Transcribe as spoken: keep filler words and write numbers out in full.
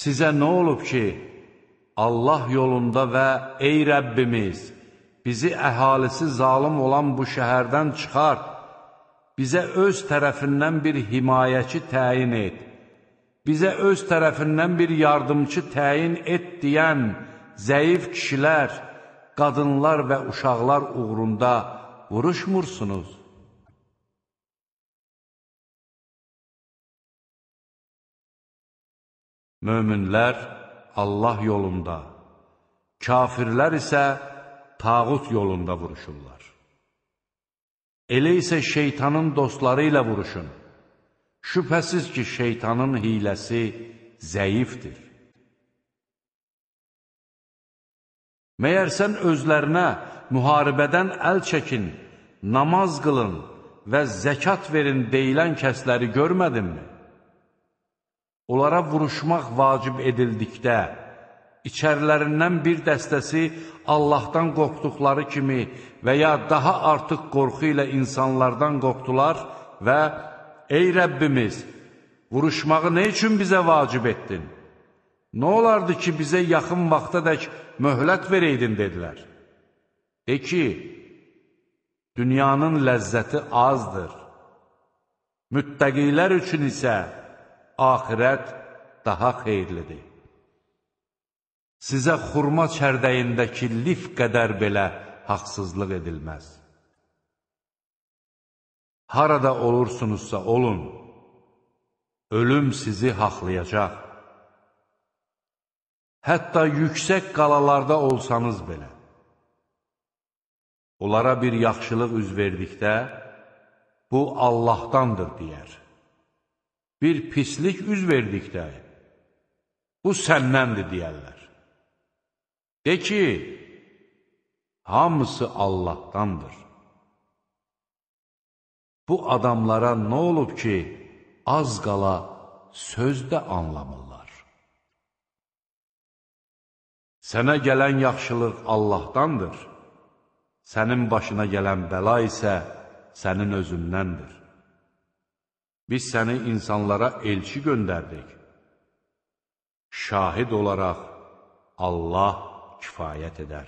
Sizə nə olub ki, Allah yolunda və ey Rəbbimiz, bizi əhalisi zalım olan bu şəhərdən çıxart, bizə öz tərəfindən bir himayəçi təyin et, bizə öz tərəfindən bir yardımcı təyin et deyən zəif kişilər, qadınlar və uşaqlar uğrunda vuruşmursunuz. Möminlər Allah yolunda, kafirlər isə tağut yolunda vuruşurlar. Elə isə şeytanın dostları ilə vuruşun. Şübhəsiz ki, şeytanın hiləsi zəifdir. Məyər sən özlərinə müharibədən əl çəkin, namaz qılın və zəkat verin deyilən kəsləri görmədinmi? Onlara vuruşmaq vacib edildikdə, içərilərindən bir dəstəsi Allahdan qorxduqları kimi və ya daha artıq qorxu ilə insanlardan qorxdular və ey Rəbbimiz, vuruşmağı nə üçün bizə vacib etdin? Nə olardı ki, bizə yaxın vaxtadək möhlət vereydin, dedilər. De ki, dünyanın ləzzəti azdır. Müttəqilər üçün isə axirət daha xeyirlidir. Sizə xurma çərdəyindəki lif qədər belə haqsızlıq edilməz. Harada olursunuzsa olun, ölüm sizi haqlayacaq. Hətta yüksək qalalarda olsanız belə. Onlara bir yaxşılıq üz verdikdə, bu Allahdandır, deyər. Bir pislik üz verdikdə, bu səndəndir, deyərlər. De ki, hamısı Allahdandır. Bu adamlara nə olub ki, az qala söz də anlamırlar. Sənə gələn yaxşılıq Allahdandır, sənin başına gələn bəla isə sənin özündəndir. Biz səni insanlara elçi göndərdik. Şahid olaraq Allah kifayət edər.